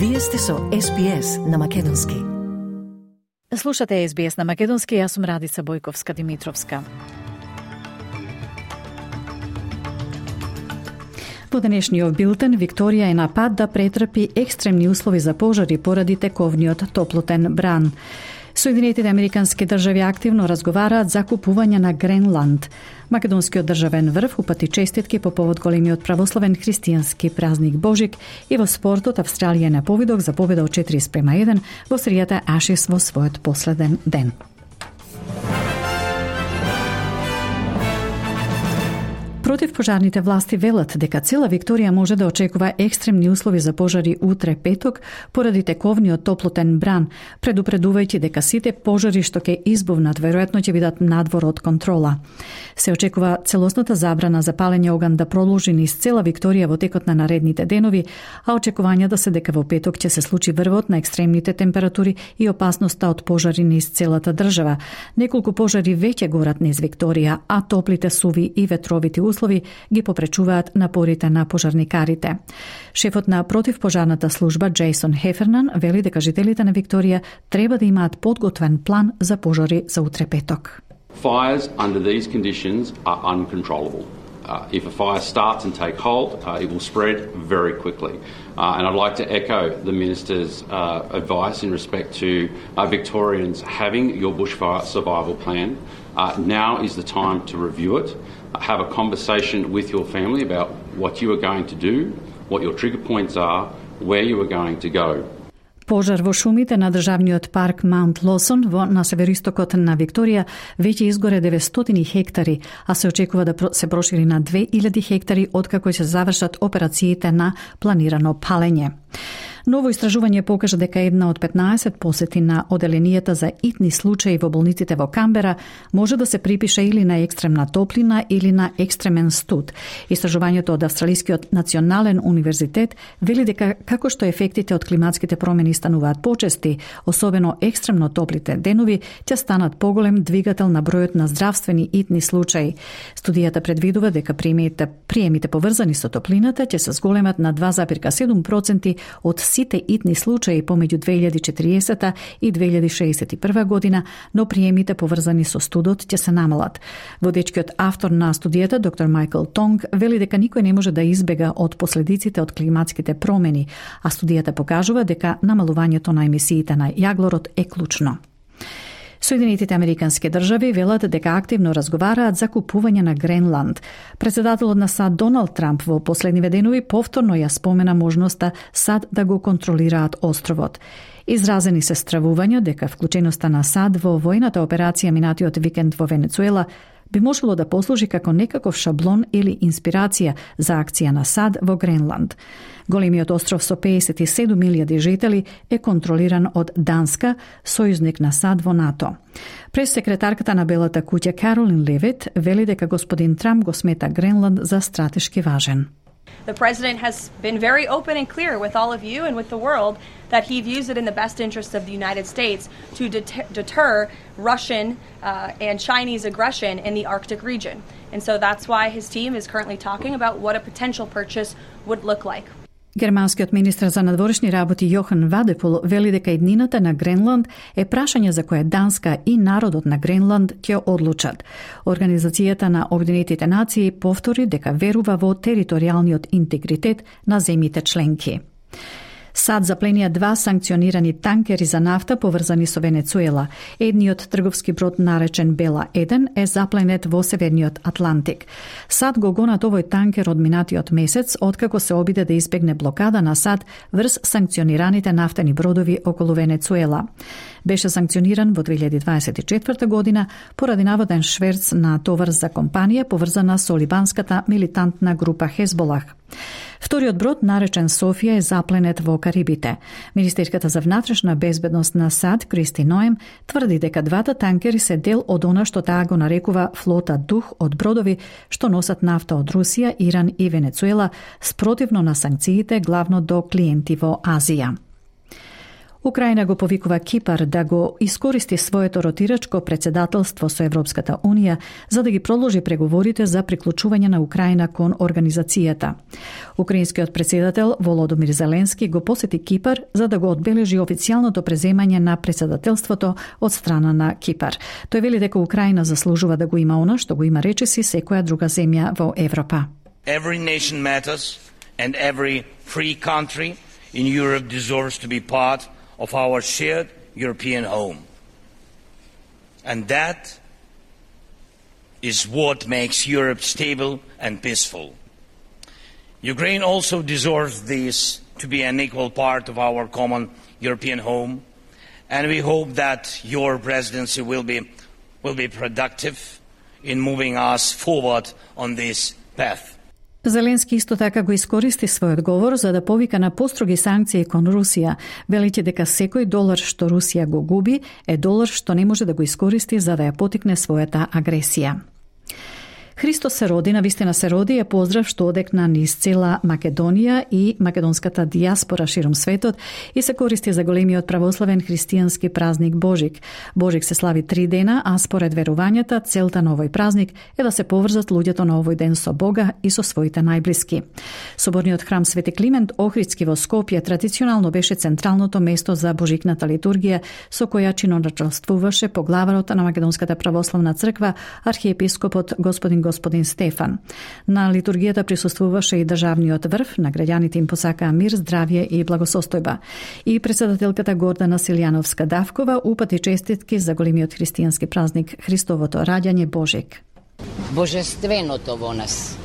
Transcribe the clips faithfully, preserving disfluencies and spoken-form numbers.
Вие сте со Ес Би Ес на македонски. Слушате Ес Би Ес на македонски, јас сум Радица Бојковска-Димитровска. Во денешниот билтен, Викторија е на пат да претрпи екстремни услови за пожари поради тековниот топлотен бран. Соединетите американски држави активно разговараат за купување на Гренланд. Македонскиот државен врв упати честитки по повод големиот православен христијански празник Божик и во спортот Австралија на повидок за победа од четири спрема еден во серијата Ашес во својот последен ден. Противпожарните власти велат дека цела Викторија може да очекува екстремни услови за пожари утре петок поради тековниот топлотен бран, предупредувајќи дека сите пожари што ќе избувнат веројатно ќе бидат надвор од контрола. Се очекува целосната забрана за палење оган да продолжи низ цела Викторија во текот на наредните денови, а очекувањата се дека во петок ќе се случи врвот на екстремните температури и опасноста од пожари низ целата држава. Неколку пожари веќе горат низ Викторија, а топлите суви и ветровити услови ги попречуваат напорите на пожарникарите. Шефот на противпожарната служба Джейсон Хефернан вели дека жителите на Викторија треба да имаат подготвен план за пожари за утре петок. Fires under these conditions are uncontrollable. Uh, if a fire starts and take hold, uh, it will spread very quickly. Uh, and I'd like to echo the Minister's uh, advice in respect to uh, Victorians having your bushfire survival plan. Uh, now is the time to review it. Have a conversation with your family about what you are going to do, what your trigger points are, where you are going to go. Пожар во шумите на државниот парк Маунт Лосон во на североистокот на Викторија веќе изгоре деветстотини хектари, а се очекува да се прошири на две илјади хектари откако ќе се завршат операциите на планирано палење. Ново истражување покажа дека една од петнаесет посети на оделенијата за итни случаи во болниците во Камбера може да се припише или на екстремна топлина или на екстремен студ. Истражувањето од Австралискиот национален универзитет вели дека како што ефектите од климатските промени стануваат почести, особено екстремно топлите денови, ќе станат поголем двигател на бројот на здравствени итни случаи. Студијата предвидува дека приемите, приемите поврзани со топлината ќе се зголемат на два зарез седум проценти од сите итни случаи помеѓу две илјади и четириесета и две илјади шеесет и прва година, но приемите поврзани со студот ќе се намалат. Водечкиот автор на студијата, доктор Майкл Тонг, вели дека никој не може да избега од последиците од климатските промени, а студијата покажува дека намалувањето на емисиите на јаглород е клучно. Соединетите американски држави велат дека активно разговараат за купување на Гренланд. Председателот на САД Доналд Трамп во последниве денови повторно ја спомена можноста САД да го контролираат островот. Изразени се стравувања дека вклученоста на САД во војната операција минатиот викенд во Венецуела би можело да послужи како некаков шаблон или инспирација за акција на САД во Гренланд. Големиот остров со пеесет и седум илјади жители е контролиран од Данска, сојузник на САД во НАТО. Прес-секретарката на Белата куќа Каролин Левит вели дека господин Трамп го смета Гренланд за стратешки важен. The president has been very open and clear with all of you and with the world that he views it in the best interest of the United States to deter, deter Russian uh, and Chinese aggression in the Arctic region. And so that's why his team is currently talking about what a potential purchase would look like. Германскиот министер за надворешни работи Јохан Вадепол вели дека иднината на Гренланд е прашање за кое Данска и народот на Гренланд ќе одлучат. Организацијата на Обединетите нации повтори дека верува во територијалниот интегритет на земјите членки. САД запленија два санкционирани танкери за нафта поврзани со Венецуела. Едниот трговски брод наречен Бела еден е запленет во Северниот Атлантик. САД го гонат овој танкер од минатиот месец, откако се обиде да избегне блокада на САД врз санкционираните нафтени бродови околу Венецуела. Беше санкциониран во две илјади дваесет и четврта година поради наводен шверц на товар за компанија поврзана со либанската милитантна група Хезболах. Вториот брод, наречен Софија, е запленет во Карибите. Министерката за внатрешна безбедност на САД, Кристи Ноем, тврди дека двата танкери се дел од она што таа го нарекува флота дух од бродови што носат нафта од Русија, Иран и Венецуела, спротивно на санкциите главно до клиенти во Азија. Украина го повикува Кипар да го искористи своето ротирачко председателство со Европската Унија за да ги продолжи преговорите за приклучување на Украина кон организацијата. Украинскиот председател Володомир Зеленски го посети Кипар за да го одбележи официјалното преземање на председателството од страна на Кипар. Тој вели дека Украина заслужува да го има она што го има речиси секоја друга земја во Европа. Every nation matters and every free country in Europe deserves to be part of our shared European home. And that is what makes Europe stable and peaceful. Ukraine also deserves this to be an equal part of our common European home, and we hope that your presidency will be, will be productive in moving us forward on this path. Зеленски исто така го искористи својот говор за да повика на построги санкции кон Русија, велејќи дека секој долар што Русија го губи е долар што не може да го искористи за да ја потикне својата агресија. Христос се роди, навистина се роди е поздрав што одекна низ цела Македонија и македонската дијаспора широм светот и се користи за големиот православен христијански празник Божик. Божик се слави три дена, а според верувањата целта на овој празник е да се поврзат луѓето на овој ден со Бога и со своите најблиски. Соборниот храм Свети Климент Охридски во Скопје традиционално беше централното место за божикната литургија со која чиноначалствуваше поглаварот на Македонската православна црква архиепископот господин господин Стефан. На литургијата присуствуваше и државниот врв, на граѓаните им посакаа мир, здравје и благосостојба. И председателката Гордана Силјановска-Давкова упати честитки за големиот христијански празник Христовото раѓање Божик. Божественото во нас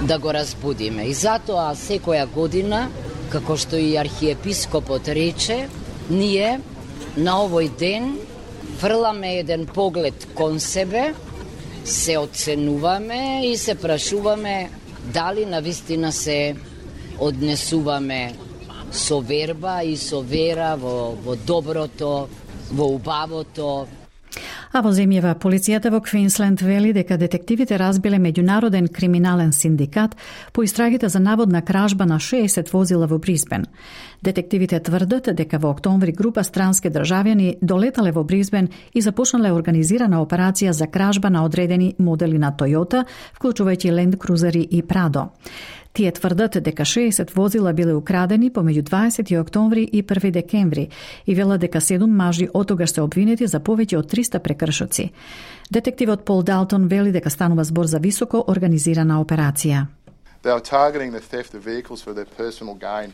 да го разбудиме и затоа секоја година, како што и архиепископот рече, ние на овој ден фрламе еден поглед кон себе, се оценуваме и се прашуваме дали навистина се однесуваме со верба и со вера во, во доброто, во убавото. А во земјава полицијата во Квинсленд вели дека детективите разбиле меѓународен криминален синдикат по истрагите за наводна кражба на шеесет возила во Брисбен. Детективите тврдат дека во октомври група странски државјани долетале во Брисбен и започнале организирана операција за кражба на одредени модели на Toyota, вклучувајќи Land Cruiser и Pradо. Тие тврдат дека шеесет возила биле украдени помеѓу дваесети октомври и први декември и велат дека седум мажи отогаш се обвинети за повеќе од триста прекршоци. Детективот Пол Далтон вели дека станува збор за високо организирана операција. They are targeting the theft of vehicles for their personal gain.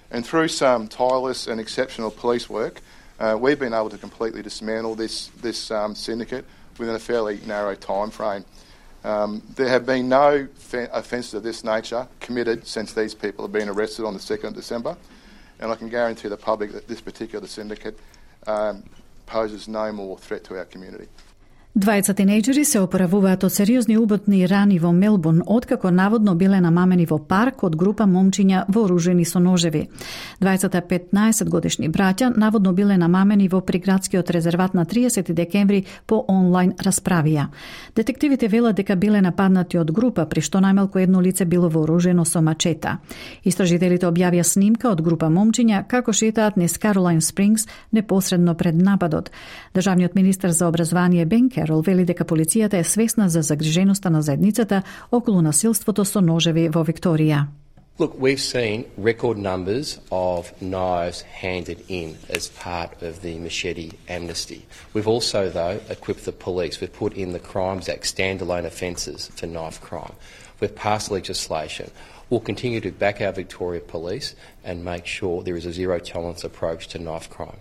And through some tireless and exceptional police work, uh, we've been able to completely dismantle this, this um, syndicate within a fairly narrow time frame. Um, there have been no offences of this nature committed since these people have been arrested on the second of December, and I can guarantee the public that this particular syndicate um, poses no more threat to our community. Двајца тинејџери се оправуваат од сериозни уботни рани во Мелбурн, откако наводно биле намамени во парк од група момчиња вооружени со ножеви. Двајцата петнаесет годишни браќа наводно биле намамени во приградскиот резерват на триесети декември по онлайн расправија. Детективите велат дека биле нападнати од група, при што најмалку едно лице било вооружено со мачета. Истражителите објавија снимка од група момчиња како шетаат низ Каролайн Спрингс непосредно пред нападот. Државниот министер за образование Бен Керол вели дека полицијата е свесна за загриженоста на заедницата околу насилството со ножеви во Викторија. Look, we've seen record numbers of knives handed in as part of the machete amnesty. We've also, though, equipped the police. We've put in the Crimes Act standalone offences for knife crime. We've passed legislation. We'll continue to back our Victoria Police and make sure there is a zero-tolerance approach to knife crime.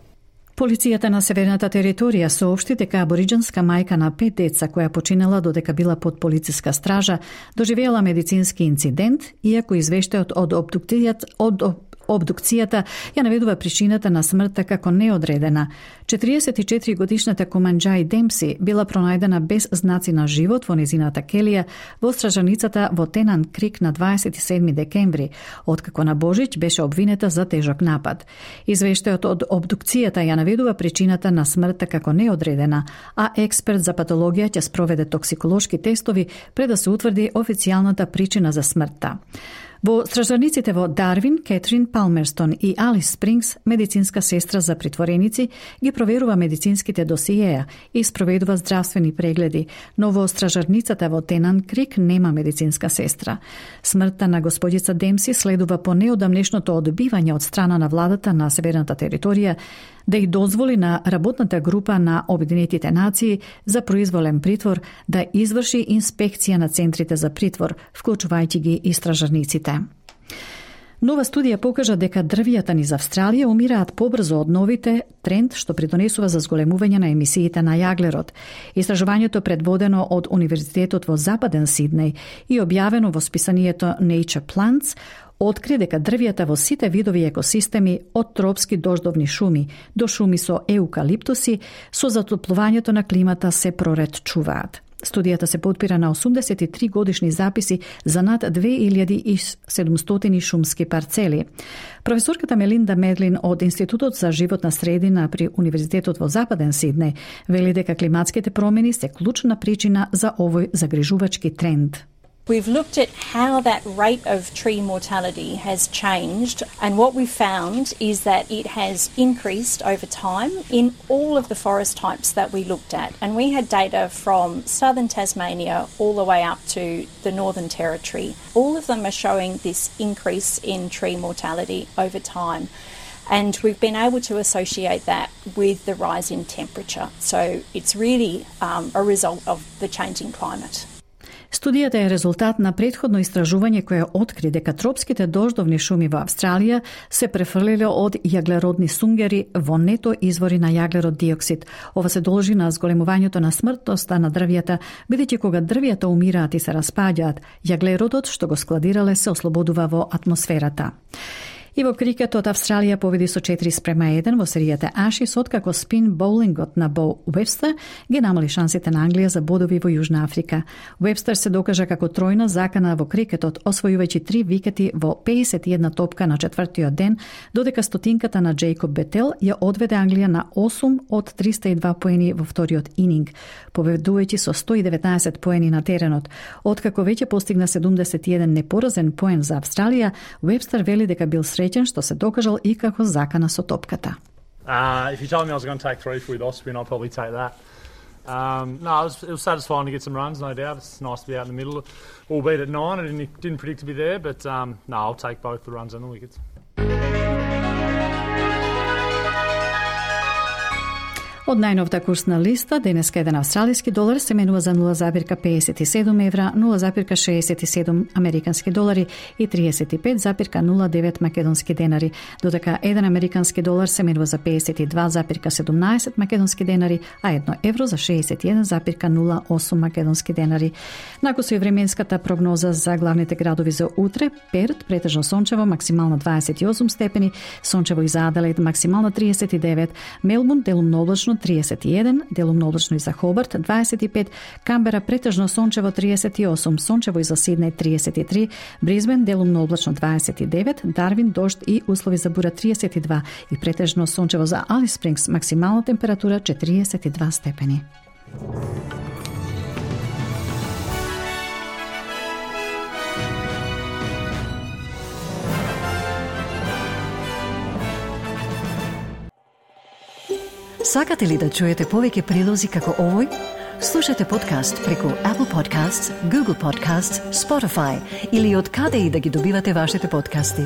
Полицијата на Северната територија соопшти дека абориџинска мајка на пет деца која починала додека била под полициска стража доживеала медицински инцидент, иако извештајот од обдукцијата од Обдукцијата ја наведува причината на смртта како неодредена. четириесет и четири годишната Команџаи Демпси била пронајдена без знаци на живот во незината келија во стражаницата во Тенан Крик на дваесет и седми декември, откако на Божич беше обвинета за тежок напад. Извештајот од обдукцијата ја наведува причината на смртта како неодредена, а експерт за патологија ќе спроведе токсиколошки тестови пред да се утврди официјалната причина за смртта. Во стражарниците во Дарвин, Кетрин Палмерстон и Алис Спрингс, медицинска сестра за притвореници, ги проверува медицинските досиеја и спроведува здравствени прегледи, но во стражарницата во Тенан Крик нема медицинска сестра. Смртта на господица Демси следува по неодамнешното одбивање од страна на владата на северната територија да и дозволи на работната група на Обединетите нации за произволен притвор да изврши инспекција на центрите за притвор, вклучувајќи ги и стражарниците. Нова студија покажа дека дрвијата низ Австралија умираат побрзо од новите, тренд што придонесува за зголемување на емисиите на јаглерод. Истражувањето предводено од Универзитетот во Западен Сиднеј и објавено во списанието Nature Plants откри дека дрвијата во сите видови екосистеми, од тропски дождовни шуми до шуми со еукалиптуси, со затоплувањето на климата се проретчуваат. Студијата се подпира на осумдесет и три годишни записи за над две илјади и седумстотини шумски парцели. Професорката Мелинда Медлин од Институтот за животна средина при Универзитетот во Западен Сиднеј вели дека климатските промени се клучна причина за овој загрижувачки тренд. We've looked at how that rate of tree mortality has changed, and what we found is that it has increased over time in all of the forest types that we looked at. And we had data from southern Tasmania all the way up to the Northern Territory. All of them are showing this increase in tree mortality over time. And we've been able to associate that with the rise in temperature. So it's really um, a result of the changing climate. Студијата е резултат на претходно истражување кое откри дека тропските дождовни шуми во Австралија се префрлиле од јаглеродни сунгери во нето извори на јаглерод диоксид. Ова се должи на зголемувањето на смртноста на дрвијата, бидејќи кога дрвијата умираат и се распаѓаат, јаглеродот што го складирале се ослободува во атмосферата. И во крикетот Австралија победи со четири спрема еден во серијата Ашис, откако спин боулингот на Бо Уебстер ги намали шансите на Англија за бодови во Јужна Африка. Уебстер се докажа како тројна закана во крикетот, освојувајќи три викети во педесет и една топка на четвртиот ден, додека стотинката на Джейкоб Бетел ја одведе Англија на осум од триста и два поени во вториот ининг, победувајќи со сто и деветнаесет поени на теренот. Откако веќе постигна седумдесет и еден непоразен поен за Австралија, Уебстер вели дека бил среќен што се докажал и како закана со топката. Uh, if you told me I was going to take three with off spin, I'd probably take that. Um, no, it was, it was satisfying to get some runs, no doubt. It's nice to be out in the middle, albeit at nine. I didn't, didn't predict to be there, but um, no, I'll take both the runs and the wickets. Од најновата курсна листа, денеска еден австралиски долар се менува за нула запирка педесет и седум евра, нула запирка шеесет и седум американски долари и триесет и пет запирка нула девет македонски денари, додека еден американски долар се менува за педесет и два запирка седумнаесет македонски денари, а едно евро за шеесет и еден запирка нула осум македонски денари. Накусо и временската прогноза за главните градови за утре: Перт претежно сончево, максимално дваесет и осум степени, сончево и за Аделаид максимално триесет и девет, Мелбурн делумно облачно триесет и еден, делумно облачно и за Хобарт дваесет и пет, Камбера претежно сончево триесет и осум, сончево и за Сиднеј триесет и три, Бризбен делумно облачно дваесет и девет, Дарвин дожд и услови за бура триесет и два и претежно сончево за Алис Спрингс, максимална температура четириесет и два степени. Сакате ли да чуете повеќе прилози како овој? Слушате подкаст преку Apple Podcasts, Google Podcasts, Spotify или од каде и да ги добивате вашите подкасти.